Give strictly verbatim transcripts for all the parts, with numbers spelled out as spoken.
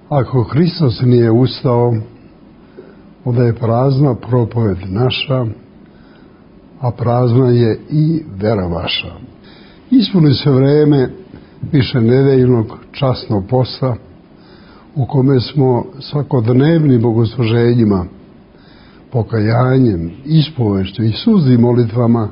Ako Hristos nije ustao, onda je prazna propoved naša, a prazna je i vera vaša. Ispuni se vreme višenedeljnog časnog posta u kome smo svakodnevnim bogosluženjima, pokajanjem, ispovešću i suznim molitvama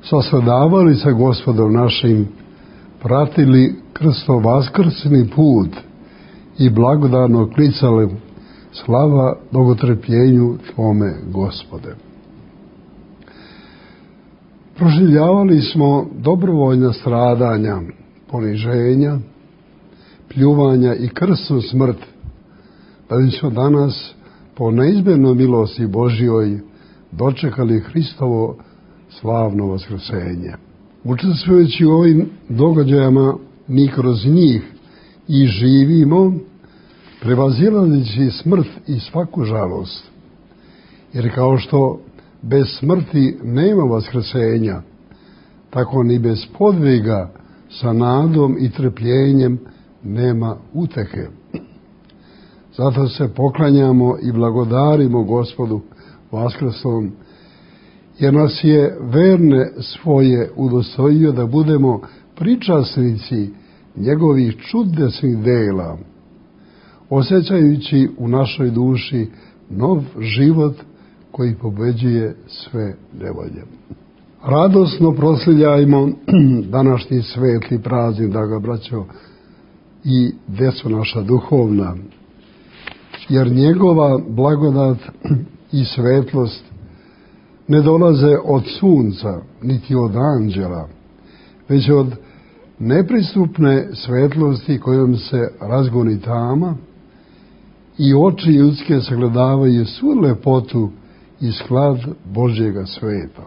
sasladavali sa Gospodom našim, pratili krsto-vaskrsni put i blagodarno klicali: slava bogotrpljenju Tvome, Gospode. Proživljavali smo dobrovoljna stradanja, poniženja, pljuvanja i krsnu smrt, da bismo danas po neizmjernoj milosti Božjoj dočekali Hristovo slavno vaskrsenje. Učestvujući u ovim događajima, mi kroz njih i živimo, prevazilazeći smrt i svaku žalost. Jer kao što bez smrti nema vaskrsenja, tako ni bez podviga sa nadom i trpljenjem nema utehe. Zato se poklanjamo i blagodarimo Gospodu vaskrslom, jer nas je verne svoje udostojio da budemo pričasnici njegovih čudesnih dela, osjećajući u našoj duši nov život koji pobeđuje sve nevolje. Radosno proslavljajmo današnji svetli praznik, draga braćo i deco naša duhovna, jer njegova blagodat i svetlost ne dolaze od sunca, niti od anđela, već od nepristupne svetlosti kojom se razgoni tama i oči ljudske sagledavaju svu lepotu i sklad Božjega sveta.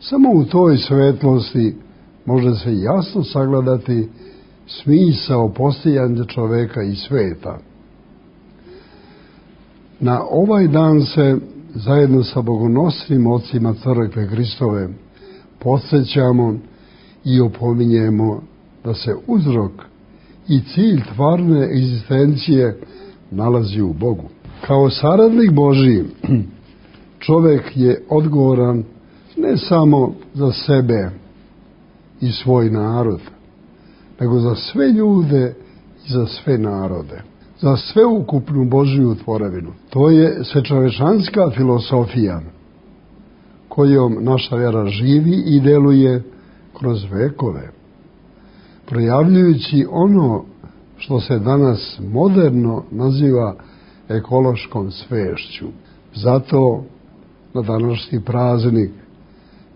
Samo u toj svetlosti može se jasno sagledati smisao postojanja čoveka i sveta. Na ovaj dan se zajedno sa bogonosnim ocima crkve Hristove podsjećamo i opominjemo da se uzrok i cilj tvarne egzistencije nalazi u Bogu. Kao saradnik Božji, čovek je odgovoran ne samo za sebe i svoj narod, nego za sve ljude i za sve narode, za sveukupnu Božju tvorevinu. To je svečovečanska filosofija kojom naša vjera živi i deluje kroz vekove, projavljujući ono što se danas moderno naziva ekološkom svešću. Zato na današnji praznik,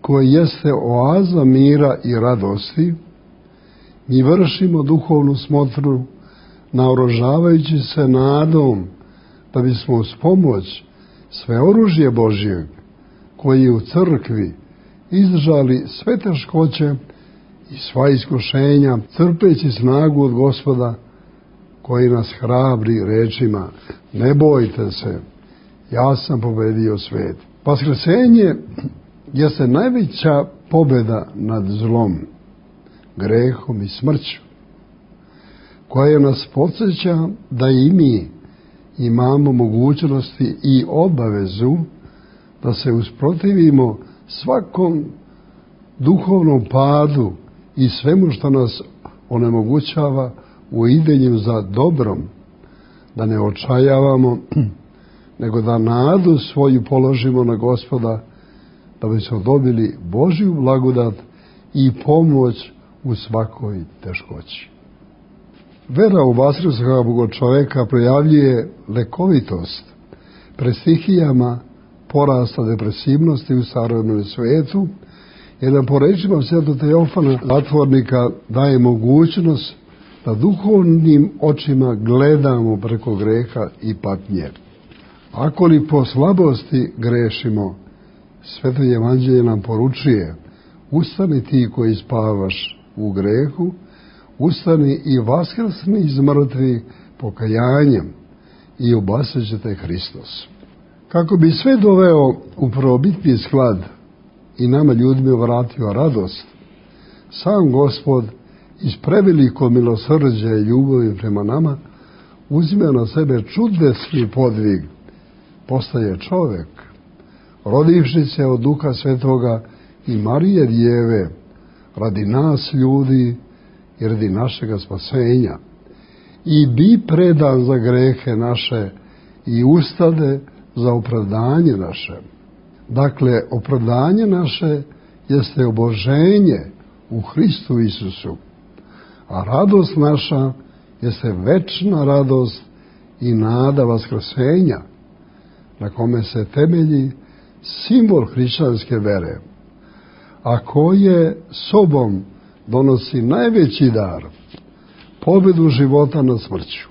koji jeste oaza mira i radosti, mi vršimo duhovnu smotru naoružavajući se nadom da bismo uz pomoć sve oružje Božjeg, koji u crkvi izdržali sve teškoće i sva iskušenja, crpeći snagu od Gospoda koji nas hrabri rečima: ne bojte se, ja sam pobedio svet. Vaskrsenje jeste najveća pobjeda nad zlom, grehom i smrću, koja nas podsjeća da i mi imamo mogućnosti i obavezu da se usprotivimo svakom duhovnom padu i svemu što nas onemogućava u idenju za dobrom, da ne očajavamo, nego da nadu svoju položimo na Gospoda, da bismo dobili Božju blagodat i pomoć u svakoj teškoći. Vera u vaskrslog čoveka projavljuje lekovitost pred stihijama porasta depresivnosti u savremenom svetu, jer nam po rečima svetog Teofana Zatvornika daje mogućnost da duhovnim očima gledamo preko greha i patnje. Ako li po slabosti grešimo, Sveto evanđelje nam poručuje: ustani ti koji spavaš u grehu, ustani i vaskrsni iz mrtvih pokajanjem i obasat će te Hristos. Kako bi sve doveo u prvobitni sklad i nama ljudima vratio radost, sam Gospod iz preveliko milosrđa i ljubavi prema nama uzima na sebe čudesni podvig, postaje čovek, rodivši se od Duha Svetoga i Marije Djeve, radi nas ljudi i radi našega spasenja, i bi predan za grehe naše i ustade za opravdanje naše. Dakle, opravdanje naše jeste oboženje u Hristu Isusu, a radost naša jeste večna radost i nada vaskrsenja, na kome se temelji simbol hrišćanske vere, a koje sobom donosi najveći dar, pobedu života nad smrću.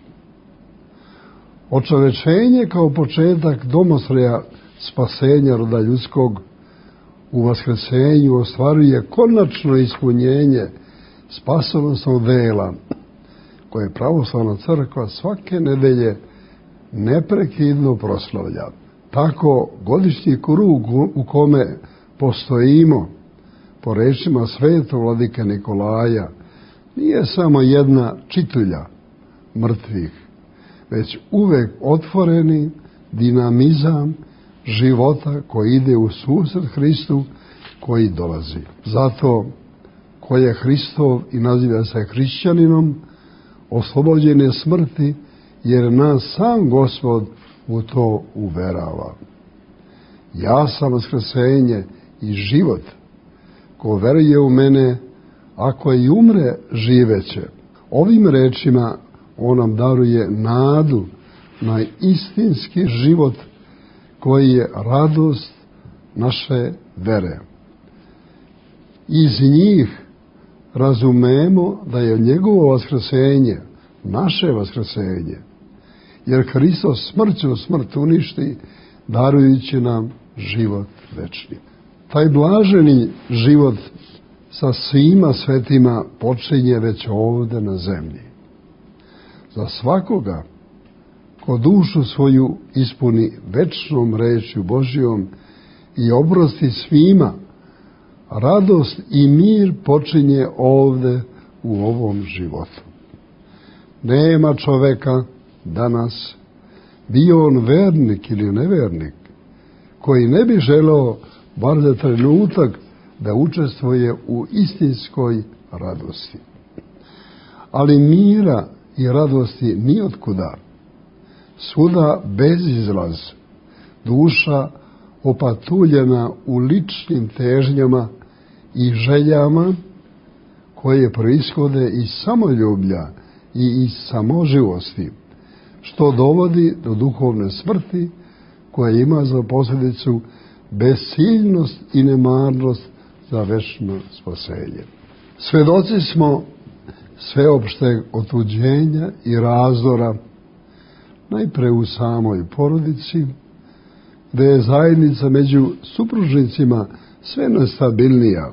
Očovečenje kao početak domostroja spasenja roda ljudskog u vaskrsenju ostvaruje konačno ispunjenje spasonosnog dela koje pravoslavna crkva svake nedelje neprekidno proslavlja. Tako godišnji krug u kome postojimo, po rečima svetog vladike Nikolaja, nije samo jedna čitulja mrtvih, već uvek otvoreni dinamizam života koji ide u susret Hristu koji dolazi. Zato ko je Hristov i naziva se hrišćaninom, oslobođen je smrti, jer nas sam Gospod u to uverava. Ja sam vaskrsenje i život. Ko veruje u mene, ako i umre, živeće. Ovim rečima on nam daruje nadu na istinski život koji je radost naše vere. Iz njih razumemo da je njegovo vaskrsenje naše vaskrsenje, jer Hristos smrću smrt uništi, darujući nam život večni. Taj blaženi život sa svima svetima počinje već ovde na zemlji. Za svakoga ko dušu svoju ispuni večnom rečju Božjom i oprosti svima, radost i mir počinje ovde u ovom životu. Nema čoveka danas, bio on vernik ili nevernik, koji ne bi želeo bar za trenutak da učestvuje u istinskoj radosti. Ali mira i radosti nijotkuda, svuda bezizlaz, duša opatuljena u ličnim težnjama i željama koje proishode iz samoljublja i iz samoživosti, što dovodi do duhovne smrti koja ima za posljedicu besciljnost i nemarnost za večno spasenje. Svedoci smo sveopšteg otuđenja i razdora, najpre u samoj porodici, gde je zajednica među supružnicima sve nestabilnija,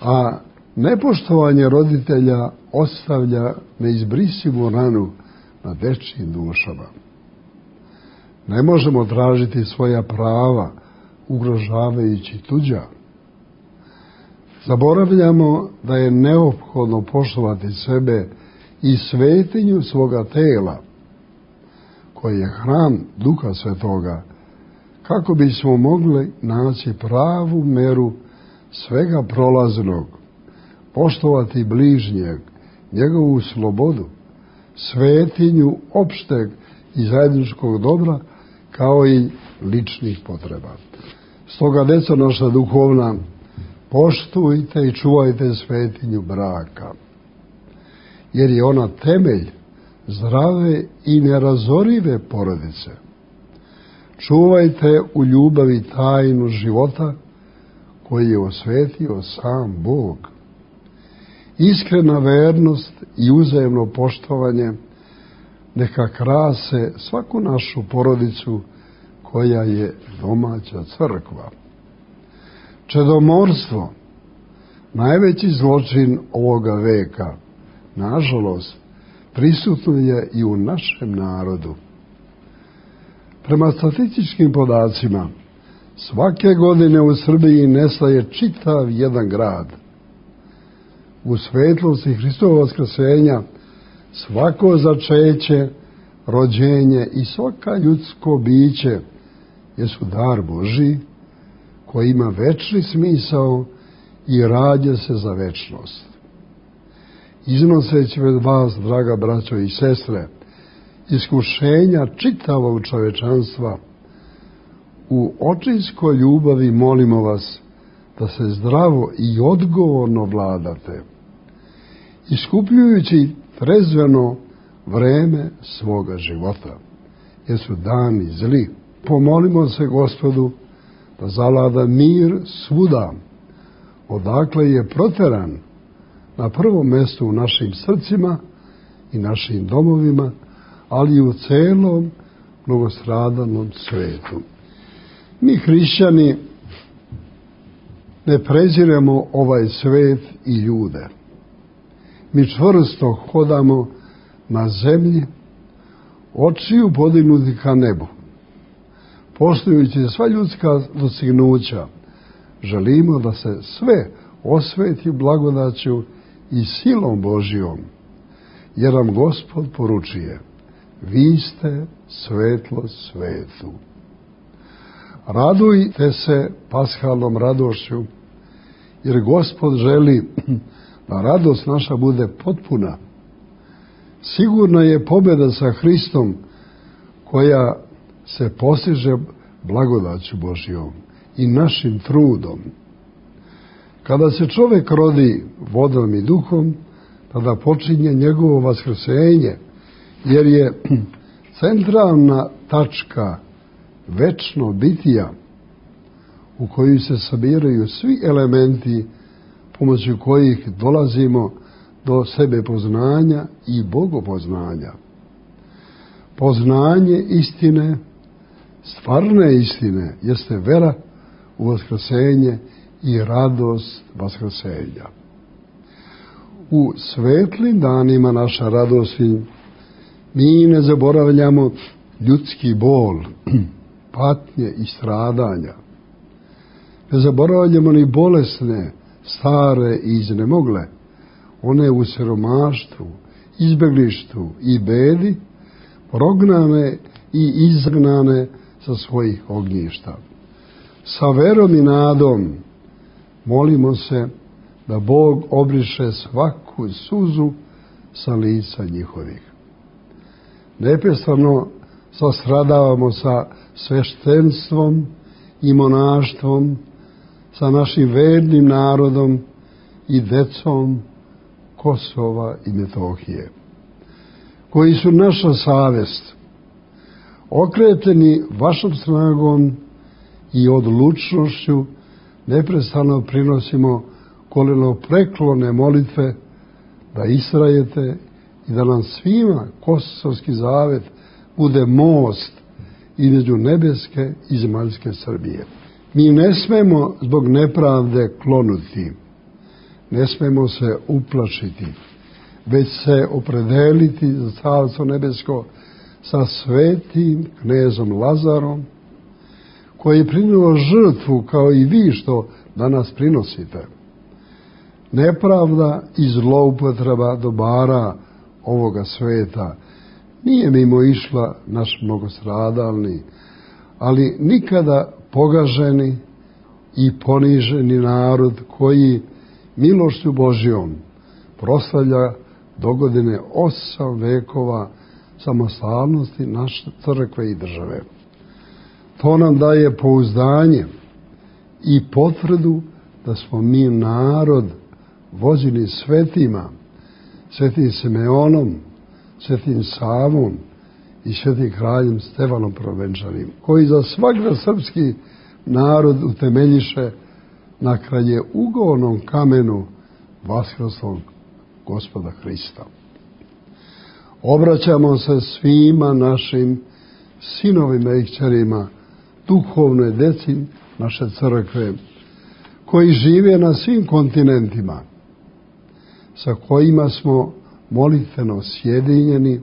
a nepoštovanje roditelja ostavlja neizbrisivu ranu na dečjim dušama. Ne možemo tražiti svoja prava ugrožavajući tuđa. Zaboravljamo da je neophodno poštovati sebe i svetinju svoga tela, koji je hram Duha Svetoga, kako bismo mogli naći pravu meru svega prolaznog, poštovati bližnjeg, njegovu slobodu, svetinju opšteg i zajedničkog dobra, kao i ličnih potreba. Stoga, deco naša duhovna, poštujte i čuvajte svetinju braka, jer je ona temelj zdrave i nerazorive porodice. Čuvajte u ljubavi tajnu života koji je osvetio sam Bog. Iskrena vernost i uzajemno poštovanje neka krase svaku našu porodicu koja je domaća crkva. Čedomorstvo, najveći zločin ovoga veka, nažalost, prisutno je i u našem narodu. Prema statističkim podacima, svake godine u Srbiji nestaje čitav jedan grad. u svetlosti Hristovog vaskrsenja svako začeće, rođenje i svaka ljudsko biće jesu dar Božji koji ima večni smisao i rađa se za večnost. Iznoseći pred vas, draga braćo i sestre, iskušenja čitavog čovečanstva, u očinskoj ljubavi molimo vas da se zdravo i odgovorno vladate, iskupljujući trezveno vreme svoga života, jer su dani zli. Pomolimo se Gospodu da zavlada mir svuda, odakle je proteran na prvom mjestu u našim srcima i našim domovima, ali i u celom mnogostradanom svetu. Mi hrišćani ne preziremo ovaj svet i ljude. Mi čvrsto hodamo na zemlji, očiju podignuti ka nebu. Poštujući sva ljudska dostignuća, želimo da se sve osveti blagodaću i silom Božjom, jer nam Gospod poručuje: vi ste svetlo svetu. Radujte se pashalnom radošću, jer Gospod želi da radost naša bude potpuna. Sigurna je pobjeda sa Hristom koja se postiže blagodaću Božjom i našim trudom. Kada se čovjek rodi vodom i duhom, tada počinje njegovo vaskrsenje, jer je centralna tačka večno bitija u koju se sabiraju svi elementi pomoću kojih dolazimo do sebe poznanja i bogopoznanja. Poznanje istine, stvarne istine, jeste vera u vaskrsenje i radost vaskrsenja. U svetlim danima naša radosti mi ne zaboravljamo ljudski bol, patnje i stradanja. Ne zaboravljamo ni bolesne, stare i iznemogle, one u siromaštvu, izbeglištvu i bedi, prognane i izgnane sa svojih ognjišta. Sa verom i nadom molimo se da Bog obriše svaku suzu sa lica njihovih. Neprestano sastradavamo sa sveštenstvom i monaštvom, sa našim vernim narodom i decom Kosova i Metohije, koji su naša savest. Okreteni vašom snagom i odlučnošću neprestano prinosimo kolenopreklone molitve da istrajete i da nam svima Kosovski zavet bude most između nebeske i zemaljske Srbije. Mi ne smemo zbog nepravde klonuti, ne smemo se uplašiti, već se opredeliti za Carstvo nebesko sa svetim knezom Lazarom, koji je prinio žrtvu kao i vi što danas prinosite. Nepravda i zloupotreba dobara ovoga sveta nije mimo išla naš mnogostradalni, ali nikada pogaženi i poniženi narod koji milošću Božjom proslavlja dogodine osam vekova samostalnosti naše crkve i države. To nam daje pouzdanje i potvrdu da smo mi narod vođeni svetima, svetim Simeonom, svetim Savom i svetim kraljem Stefanom Prvenčanim, koji za svakda srpski narod utemeljiše na kralje ugovornom kamenu vaskrslog Gospoda Hrista. Obraćamo se svima našim sinovima i kćerima, duhovnoj deci naše crkve, koji žive na svim kontinentima, sa kojima smo molitveno sjedinjeni,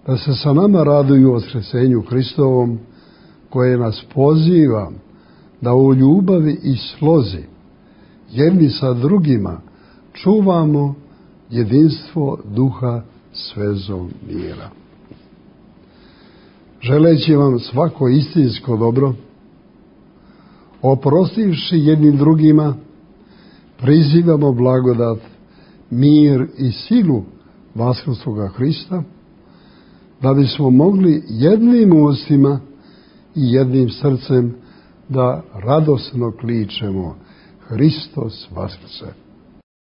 da se sa nama raduju vaskresenju Hristovom, koje nas poziva da u ljubavi i slozi jedni sa drugima čuvamo jedinstvo duha svezom mira. Želeći vam svako istinsko dobro, oprostivši jednim drugima, prizivamo blagodat, mir i silu vaskrsloga Hrista, da bismo mogli jednim ustima i jednim srcem da radosno kličemo Hristos Vaskrse.